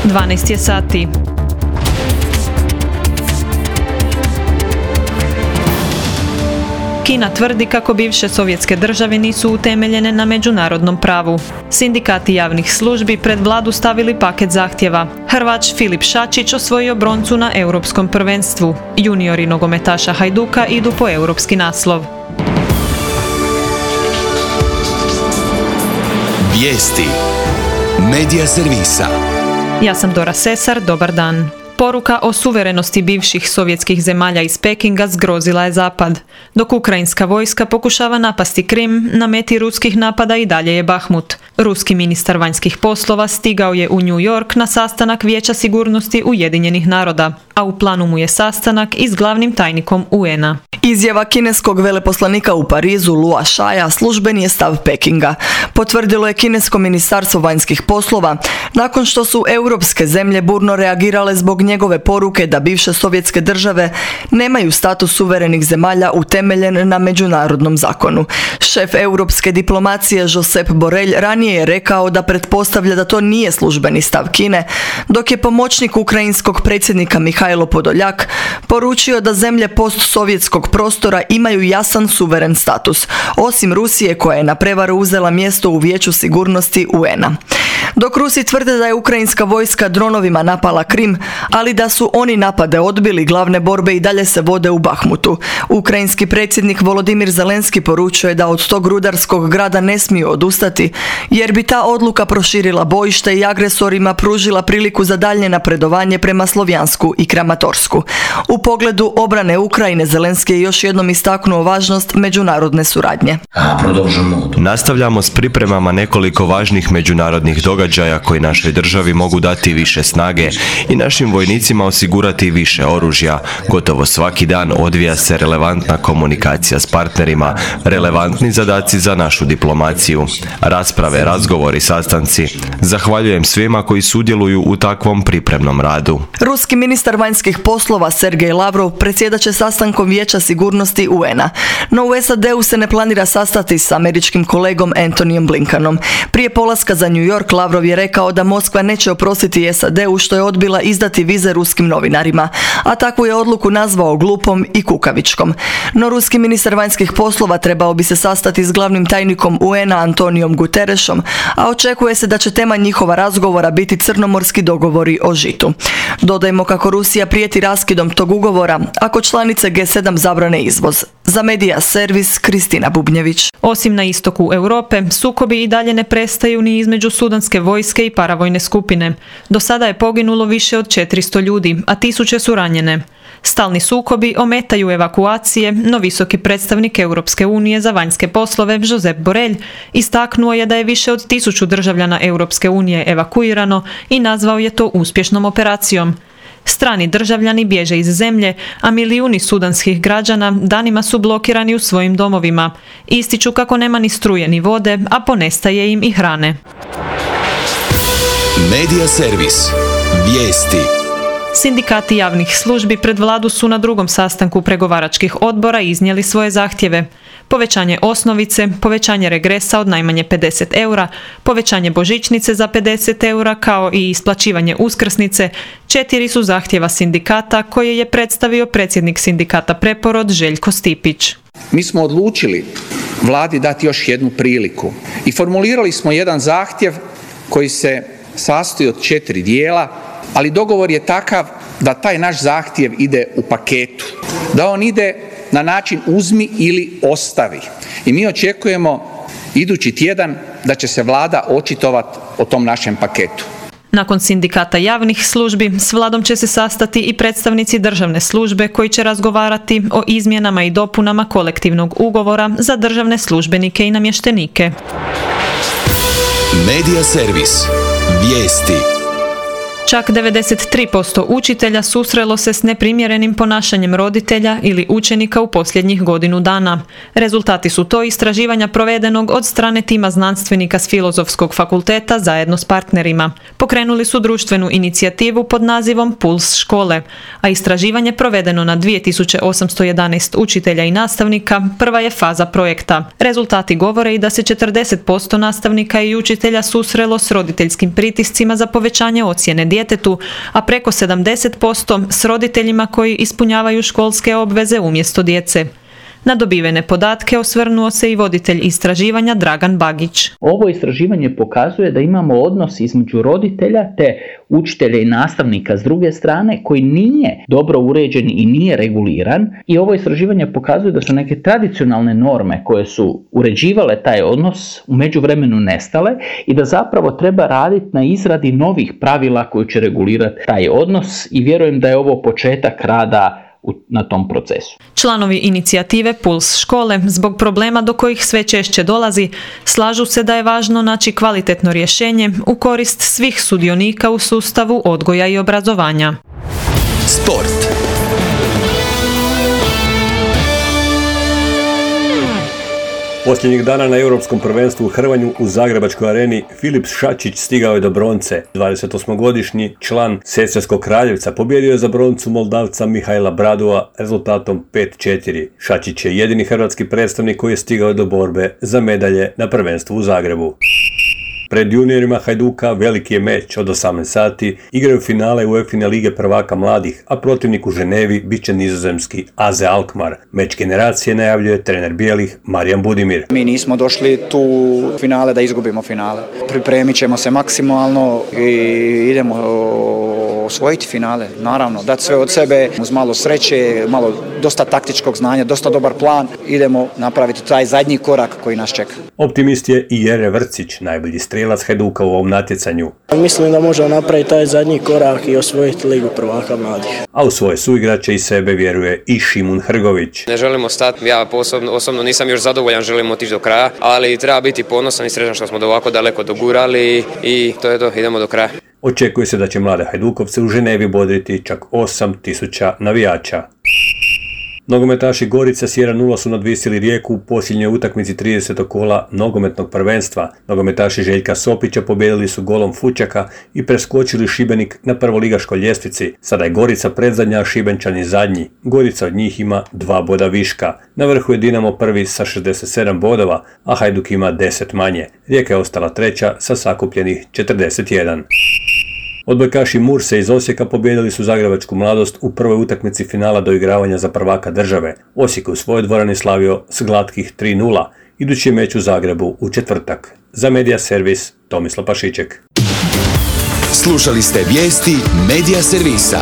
12 je sati. Kina tvrdi kako bivše sovjetske države nisu utemeljene na međunarodnom pravu. Sindikati javnih službi pred vladu stavili paket zahtjeva. Hrvač Filip Šačić osvojio broncu na europskom prvenstvu. Juniori nogometaša Hajduka idu po europski naslov. Vijesti. Medija servisa. Ja sam Dora Sesar, dobar dan. Poruka o suverenosti bivših sovjetskih zemalja iz Pekinga zgrozila je Zapad. Dok ukrajinska vojska pokušava napasti Krim, na meti ruskih napada i dalje je Bahmut. Ruski ministar vanjskih poslova stigao je u New York na sastanak Vijeća sigurnosti Ujedinjenih naroda, a u planu mu je sastanak i s glavnim tajnikom UN-a. Izjava kineskog veleposlanika u Parizu Lua Shaja službeni je stav Pekinga. Potvrdilo je kinesko ministarstvo vanjskih poslova nakon što su europske zemlje burno reagirale zbog njegove poruke da bivše sovjetske države nemaju status suverenih zemalja utemeljen na međunarodnom zakonu. Šef europske diplomacije Josep Borrell ranije je rekao da pretpostavlja da to nije službeni stav Kine, dok je pomoćnik ukrajinskog predsjednika Mihajlo Podoljak poručio da zemlje postsovjetskog prostora imaju jasan suveren status, osim Rusije koja je na prevaru uzela mjesto u Vijeću sigurnosti UN-a. Dok Rusi tvrde da je ukrajinska vojska dronovima napala Krim, ali da su oni napade odbili, glavne borbe i dalje se vode u Bahmutu. Ukrajinski predsjednik Volodimir Zelenski poručuje da od tog rudarskog grada ne smiju odustati, jer bi ta odluka proširila bojište i agresorima pružila priliku za daljnje napredovanje prema Slovjansku i Kramatorsku. U pogledu obrane Ukrajine Zelenski je još jednom istaknuo važnost međunarodne suradnje. Nastavljamo s pripremama nekoliko važnih međunarodnih događaja koji našoj državi mogu dati više snage i našim vojnicima osigurati više oružja. Gotovo svaki dan odvija se relevantna komunikacija s partnerima, relevantni zadaci za našu diplomaciju. Rasprave, razgovori, sastanci. Zahvaljujem svima koji sudjeluju u takvom pripremnom radu. Ruski ministar vanjskih poslova Sergej Lavrov predsjedat će sastankom Vijeća sigurnosti UN-a. No u SAD-u se ne planira sastati s američkim kolegom Antonyjem Blinkenom. Prije polaska za New York Lavrov je rekao da Moskva neće oprostiti SAD-u što je odbila izdati vize ruskim novinarima, a takvu je odluku nazvao glupom i kukavičkom. No ruski ministar vanjskih poslova trebao bi se sastati s glavnim tajnikom UN-a Antonijom Guterresom, a očekuje se da će tema njihova razgovora biti crnomorski dogovori o žitu. Dodajmo kako Rusija prijeti raskidom tog ugovora ako članice G7 zabrane izvoz. Za Medija servis Kristina Bubnjević. Osim na istoku Europe, sukobi i dalje ne prestaju ni između sudanske vojske i paravojne skupine. Do sada je poginulo više od 400 ljudi, a tisuće su ranjene. Stalni sukobi ometaju evakuacije, no visoki predstavnik Europske unije za vanjske poslove Josep Borrell istaknuo je da je više od 1000 državljana Europske unije evakuirano i nazvao je to uspješnom operacijom. Strani državljani bježe iz zemlje, a milijuni sudanskih građana danima su blokirani u svojim domovima. Ističu kako nema ni struje ni vode, a ponestaje im i hrane. Medija servis. Vijesti. Sindikati javnih službi pred vladu su na drugom sastanku pregovaračkih odbora iznijeli svoje zahtjeve. Povećanje osnovice, povećanje regresa od najmanje 50 eura, povećanje božićnice za 50 eura kao i isplaćivanje uskrsnice, 4 su zahtjeva sindikata koje je predstavio predsjednik sindikata Preporod Željko Stipić. Mi smo odlučili vladi dati još jednu priliku i formulirali smo jedan zahtjev koji se sastoji od 4 dijela, ali dogovor je takav da taj naš zahtjev ide u paketu, da on ide na način uzmi ili ostavi. I mi očekujemo idući tjedan da će se vlada očitovati o tom našem paketu. Nakon sindikata javnih službi, s vladom će se sastati i predstavnici državne službe koji će razgovarati o izmjenama i dopunama kolektivnog ugovora za državne službenike i namještenike. Medija servis. Vijesti. Čak 93% učitelja susrelo se s neprimjerenim ponašanjem roditelja ili učenika u posljednjih godinu dana. Rezultati su to istraživanja provedenog od strane tima znanstvenika s Filozofskog fakulteta zajedno s partnerima. Pokrenuli su društvenu inicijativu pod nazivom Puls škole, a istraživanje provedeno na 2811 učitelja i nastavnika prva je faza projekta. Rezultati govore i da se 40% nastavnika i učitelja susrelo s roditeljskim pritiscima za povećanje ocjene djetetu, a preko 70% s roditeljima koji ispunjavaju školske obveze umjesto djece. Na dobivene podatke osvrnuo se i voditelj istraživanja Dragan Bagić. Ovo istraživanje pokazuje da imamo odnos između roditelja te učitelja i nastavnika s druge strane koji nije dobro uređen i nije reguliran, i ovo istraživanje pokazuje da su neke tradicionalne norme koje su uređivale taj odnos u međuvremenu nestale i da zapravo treba raditi na izradi novih pravila koji će regulirati taj odnos, i vjerujem da je ovo početak rada na tom procesu. Članovi inicijative Puls škole, zbog problema do kojih sve češće dolazi, slažu se da je važno naći kvalitetno rješenje u korist svih sudionika u sustavu odgoja i obrazovanja. Sport. Posljednjih dana na Europskom prvenstvu u hrvanju u Zagrebačkoj areni Filip Šačić stigao je do bronce. 28-godišnji član Sesvetskog Kraljevca pobjedio je za broncu Moldavca Mihajla Bradova rezultatom 5-4. Šačić je jedini hrvatski predstavnik koji je stigao do borbe za medalje na prvenstvu u Zagrebu. Pred juniorima Hajduka veliki je meč od 18 sati, igraju finale UEFA lige prvaka mladih, a protivnik u Ženevi bit će nizozemski AZ Alkmaar. Meč generacije najavljuje trener bijelih Marijan Budimir. Mi nismo došli tu finale da izgubimo finale. Pripremit ćemo se maksimalno i idemo osvojiti finale. Naravno, dati sve od sebe uz malo sreće, dosta taktičkog znanja, dosta dobar plan. Idemo napraviti taj zadnji korak koji nas čeka. Optimist je i Jere Vrcić, najbolji strijelac Hajduka u ovom natjecanju. Mislim da možemo napraviti taj zadnji korak i osvojiti ligu prvaka mladih. A u svoje suigrače i sebe vjeruje i Šimun Hrgović. Ne želimo stati, ja osobno nisam još zadovoljan, želim otići do kraja, ali treba biti ponosan i srećan što smo do ovako daleko dogurali i to je to, idemo do kraja. Očekuje se da će mlade Hajdukovce u Ženevi bodriti čak 8.000 navijača. Nogometaši Gorica s 1-0 su nadvisili Rijeku u posljednjoj utakmici 30. kola nogometnog prvenstva. Nogometaši Željka Sopića pobijedili su golom Fučaka i preskočili Šibenik na prvoligaškoj ljestvici. Sada je Gorica predzadnja, a Šibenčani zadnji. Gorica od njih ima 2 boda viška. Na vrhu je Dinamo prvi sa 67 bodova, a Hajduk ima 10 manje. Rijeka je ostala treća sa sakupljenih 41. Odbojkaši Murse iz Osijeka pobijedili su Zagrebačku Mladost u prvoj utakmici finala doigravanja za prvaka države. Osijek u svojoj dvorani slavio s glatkih 3-0. Idući meč u Zagrebu u četvrtak. Za Medija Servis, Tomislav Pašiček. Slušali ste vijesti Medija Servisa.